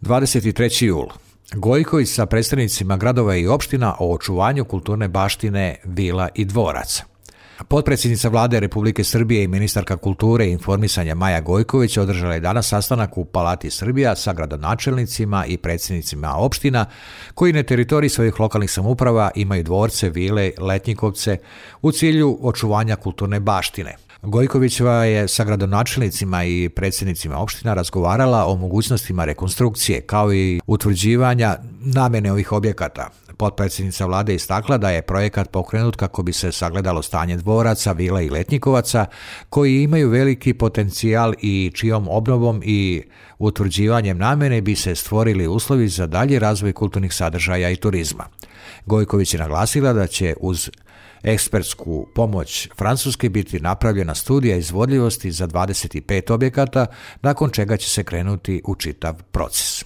23. jul. Gojković sa predstavnicima gradova i opština o očuvanju kulturne baštine vila i dvoraca. Potpredsjednica Vlade Republike Srbije i ministarka kulture i informisanja Maja Gojković održala je danas sastanak u Palati Srbija sa gradonačelnicima i predsjednicima opština koji na teritoriji svojih lokalnih samouprava imaju dvorce, vile, letnjikovce u cilju očuvanja kulturne baštine. Gojkovićeva je sa gradonačelnicima i predsjednicima opština razgovarala o mogućnostima rekonstrukcije kao i utvrđivanja namjene ovih objekata. Potpredsjednica Vlade istakla da je projekat pokrenut kako bi se sagledalo stanje dvoraca, vila i letnjikovaca koji imaju veliki potencijal i čijom obnovom i utvrđivanjem namjene bi se stvorili uslovi za dalji razvoj kulturnih sadržaja i turizma. Gojković je naglasila da će uz ekspertsku pomoć Francuske biti napravljena studija izvodljivosti za 25 objekata, nakon čega će se krenuti u čitav proces.